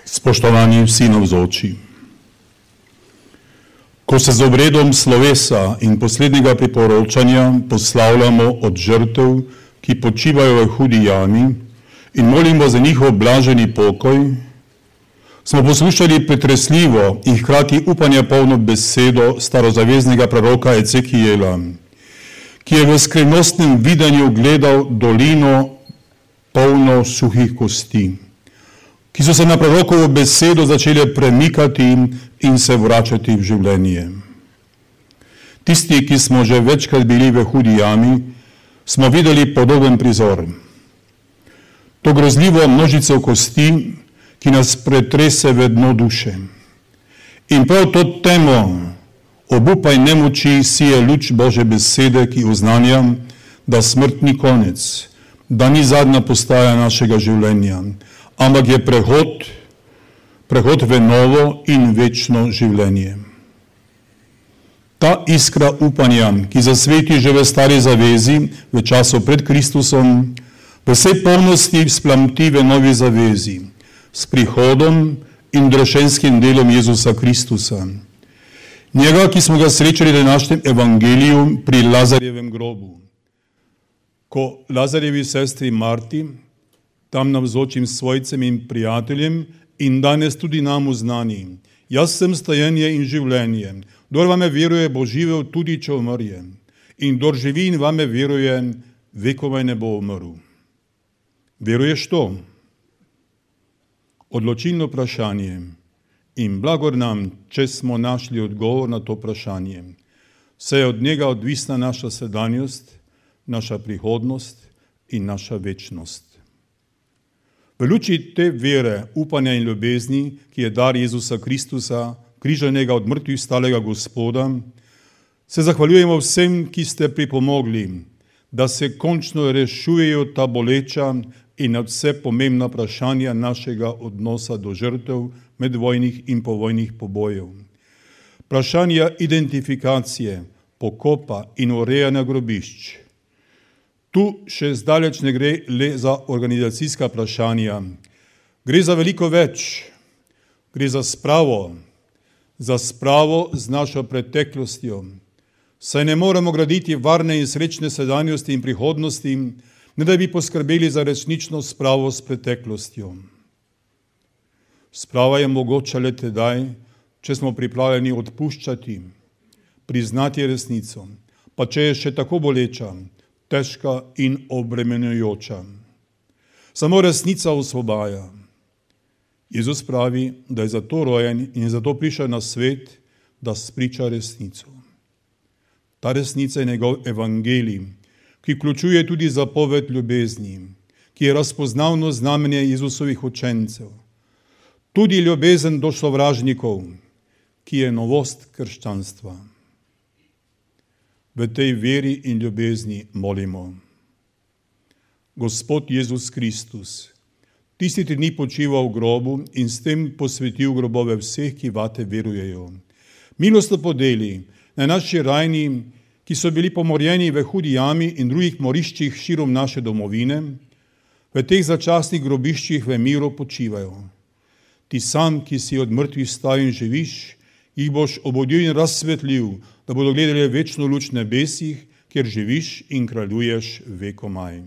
Spoštovani vsi navzoči. Ko se z obredom slovesa in poslednjega priporočanja poslavljamo od žrtev, ki počivajo v hudi jami, in molimo za njihov blaženi pokoj, smo poslušali pretresljivo in hkrati upanja polno besedo starozaveznega proroka Ecekijela, ki je v skrivnostnem videnju gledal dolino polno suhih kosti, ki so se na prorokovo besedo začele premikati in se vračati v življenje. Tisti, ki smo že večkrat bili v hudi jami, smo videli podoben prizor. To grozljivo množico kosti, ki nas pretrese v dno duše. In prav to temo obupaj nemoči sije luč Božje besede, ki oznanja, da smrt ni konec, da ni zadnja postaja našega življenja, ampak je prehod v novo in večno življenje. Ta iskra upanja, ki zasveti že v stari zavezi, v času pred Kristusom, v vsej polnosti splamti v novi zavezi, s prihodom in drošenskim delom Jezusa Kristusa. Njega, ki smo ga srečali v današnjem evangeliju pri Lazarjevem grobu. Ko Lazarjevi sestri Marti, tam navzočim svojcem in prijateljem in danes tudi nam uznani, jaz sem stajenje in življenje, kdor vame veruje, bo živel tudi, če umrje, in kdor živi in vame veruje, vekomaj ne bo umrl. Veruješ to? Odločilno vprašanje in blagor nam, če smo našli odgovor na to vprašanje. Saj je od njega odvisna naša sedanjost, naša prihodnost in naša večnost. V luči te vere, upanja in ljubezni, ki je dar Jezusa Kristusa, križanega od mrtvih stalega Gospoda, se zahvaljujemo vsem, ki ste pripomogli, da se končno rešujejo ta boleča in nadvse pomembna vprašanja našega odnosa do žrtev medvojnih in povojnih pobojev. Vprašanja identifikacije, pokopa in urejanja grobišč. Tu še zdaleč ne gre le za organizacijska vprašanja. Gre za veliko več. Gre za spravo z našo preteklostjo. Saj ne moremo graditi varne in srečne sedanjosti in prihodnosti, ne da bi poskrbeli za resnično spravo s preteklostjo. Sprava je mogoča le tedaj, če smo pripravljeni odpuščati, priznati resnico, pa če je še tako boleča, težka in obremenjujoča. Samo resnica osvobaja. Jezus pravi, da je zato rojen in zato prišel na svet, da spriča resnico. Ta resnica je njegov evangelij, ki vključuje tudi zapoved ljubezni, ki je razpoznavno znamenje Jezusovih učencev. Tudi ljubezen do sovražnikov, ki je novost krščanstva. V tej veri in ljubezni molimo. Gospod Jezus Kristus, tisti 3 dni počival v grobu in s tem posvetil grobove vseh, ki vate verujejo. Milostno podeli na naši rajni, ki so bili pomorjeni v hudi jami in drugih moriščih širom naše domovine, v teh začasnih grobiščih v miru počivajo. Ti sam, ki si od mrtvih stal in živiš, jih boš obudil in razsvetlil, da bodo gledali večno luč nebesih, kjer živiš in kraljuješ vekomaj.